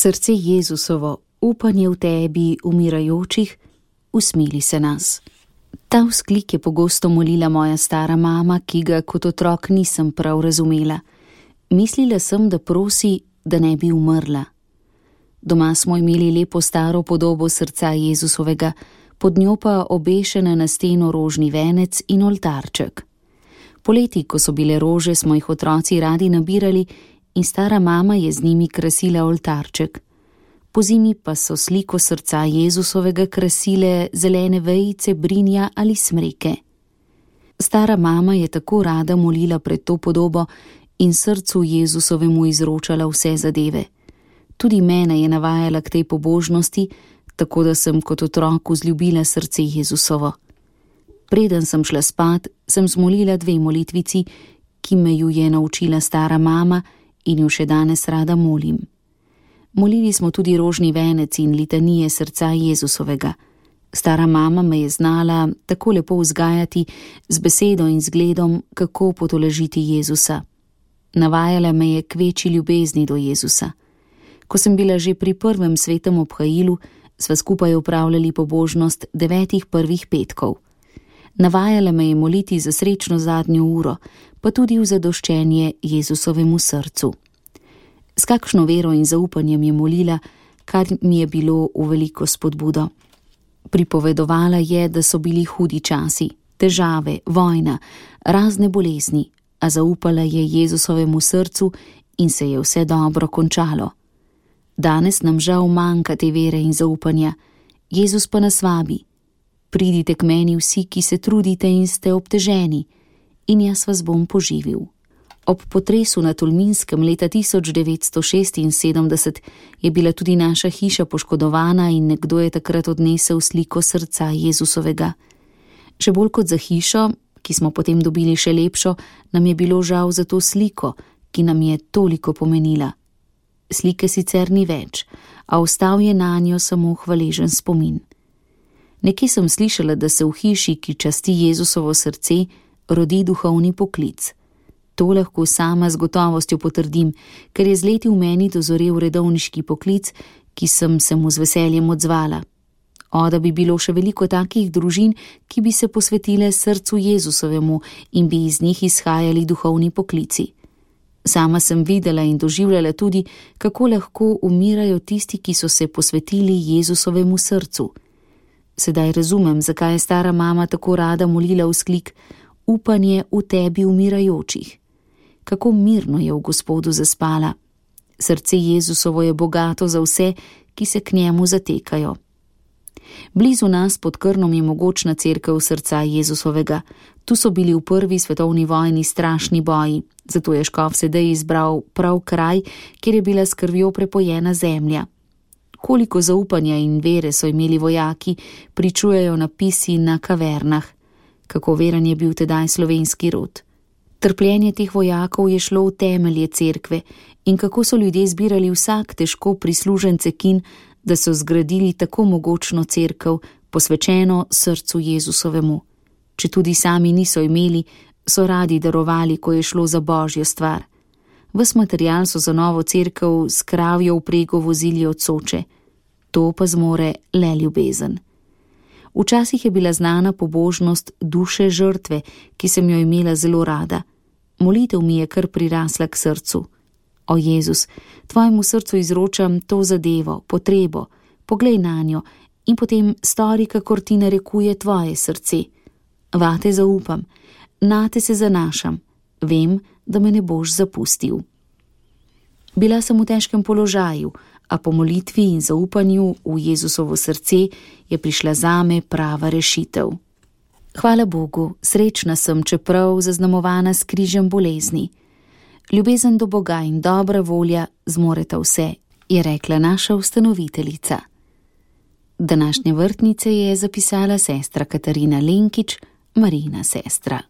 Srce Jezusovo, upanje v tebi umirajočih, usmili se nas. Ta vzklik je pogosto molila moja stara mama, ki ga kot otrok nisem prav razumela. Mislila sem, da prosi, da ne bi umrla. Doma smo imeli lepo staro podobo srca Jezusovega, pod njo pa obešena na steno rožni venec in oltarček. Poleti, ko so bile rože, smo jih otroci radi nabirali in stara mama je z njimi krasila oltarček. Pozimi pa so sliko srca Jezusovega krasile zelene vejice, brinja ali smreke. Stara mama je tako rada molila pred to podobo in srcu Jezusovemu izročala vse zadeve. Tudi mene je navajala k tej pobožnosti, tako da sem kot otrok vzljubila srce Jezusovo. Preden sem šla spat, sem zmolila 2 molitvici, ki me ju je naučila stara mama in jo še danes rada molim. Molili smo tudi rožni venec in litanije srca Jezusovega. Stara mama me je znala tako lepo vzgajati z besedo in zgledom, kako potolažiti Jezusa. Navajala me je k večji ljubezni do Jezusa. Ko sem bila že pri prvem svetem obhajilu, sva skupaj opravljali pobožnost 9 prvih petkov. Navajala me je moliti za srečno zadnjo uro, pa tudi v zadoščenje Jezusovemu srcu. S kakšno vero in zaupanjem je molila, kar mi je bilo v veliko spodbudo. Pripovedovala je, da so bili hudi časi, težave, vojna, razne bolezni, a zaupala je Jezusovemu srcu in se je vse dobro končalo. Danes nam žal manjka te vere in zaupanja, Jezus pa nas vabi. Pridite k meni vsi, ki se trudite in ste obteženi, in jaz vas bom poživil. Ob potresu na Tolminskem leta 1976 je bila tudi naša hiša poškodovana in nekdo je takrat odnesel sliko srca Jezusovega. Še bolj kot za hišo, ki smo potem dobili še lepšo, nam je bilo žal za to sliko, ki nam je toliko pomenila. Slike sicer ni več, a ostal je nanjo samo hvaležen spomin. Nekje sem slišala, da se v hiši, ki časti Jezusovo srce, rodi duhovni poklic. To lahko sama z gotovostjo potrdim, ker je z leti v meni dozorel redovniški poklic, ki sem se mu z veseljem odzvala. Da bi bilo še veliko takih družin, ki bi se posvetile srcu Jezusovemu in bi iz njih izhajali duhovni poklici. Sama sem videla in doživljala tudi, kako lahko umirajo tisti, ki so se posvetili Jezusovemu srcu. Sedaj razumem, zakaj je stara mama tako rada molila vzklik upanje v tebi umirajočih. Kako mirno je v Gospodu zaspala. Srce Jezusovo je bogato za vse, ki se k njemu zatekajo. Blizu nas pod Krnom je mogočna cerkev srca Jezusovega. Tu so bili v 1. svetovni vojni strašni boji, zato je škof sedaj izbral prav kraj, kjer je bila s krvjo prepojena zemlja. Koliko zaupanja in vere so imeli vojaki, pričujejo napisi na kavernah. Kako veren je bil tedaj slovenski rod. Trpljenje teh vojakov je šlo v temelje cerkve in kako so ljudje zbirali vsak težko prislužen cekin, da so zgradili tako mogočno cerkev, posvečeno srcu Jezusovemu. Če tudi sami niso imeli, so radi darovali, ko je šlo za božjo stvar. Ves material so za novo cerkev s kravjo vprego vozili od Soče. To pa zmore le ljubezen. Včasih je bila znana pobožnost duše žrtve, ki sem jo imela zelo rada. Molitev mi je kar prirasla k srcu. O Jezus, tvojemu srcu izročam to zadevo, potrebo, poglej nanjo in potem stori, kakor ti narekuje tvoje srce. Vate zaupam, nate se zanašam, vem, da me ne boš zapustil. Bila sem v težkem položaju, a po molitvi in zaupanju v Jezusovo srce je prišla zame prava rešitev. Hvala Bogu, srečna sem, čeprav zaznamovana s križem bolezni. Ljubezen do Boga in dobra volja zmoreta vse, je rekla naša ustanoviteljica. Današnje vrtnice je zapisala sestra Katarina Lenkič, Marijina sestra.